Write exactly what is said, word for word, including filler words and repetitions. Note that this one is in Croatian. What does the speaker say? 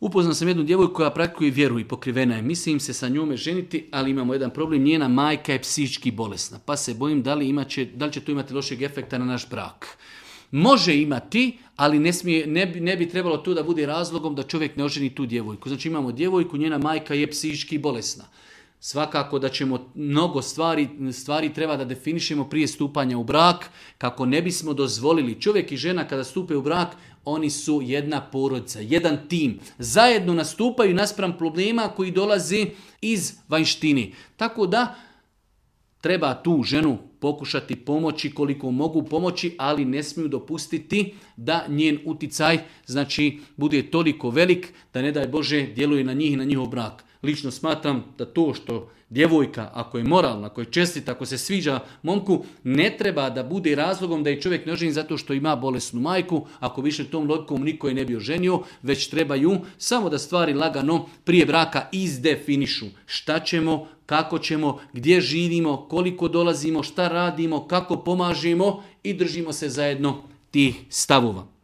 Upoznao sam jednu djevojku koja praktikuje vjeru i pokrivena je. Mislim se sa njome ženiti, ali imamo jedan problem. Njena majka je psihički bolesna, pa se bojim da li, imaće, da li će to imati lošeg efekta na naš brak. Može imati, ali ne, smije, ne, bi, ne bi trebalo to da bude razlogom da čovjek ne oženi tu djevojku. Znači imamo djevojku, njena majka je psihički bolesna. Svakako da ćemo mnogo stvari, stvari treba da definišemo prije stupanja u brak, kako ne bismo dozvolili. Čovjek i žena kada stupe u brak, oni su jedna porodica, jedan tim. Zajedno nastupaju naspram problema koji dolazi iz vanjštine. Tako da treba tu ženu pokušati pomoći koliko mogu pomoći, ali ne smiju dopustiti da njen uticaj znači, bude toliko velik da ne daj Bože djeluje na njih i na njihov brak. Lično smatram da to što djevojka, ako je moralna, ako je čestita, ako se sviđa momku, ne treba da bude razlogom da je čovjek ne oženi zato što ima bolesnu majku. Ako više tom logikom niko je ne bi oženio, već trebaju samo da stvari lagano prije braka izdefinišu. Šta ćemo, kako ćemo, gdje živimo, koliko dolazimo, šta radimo, kako pomažemo i držimo se zajedno tih stavova.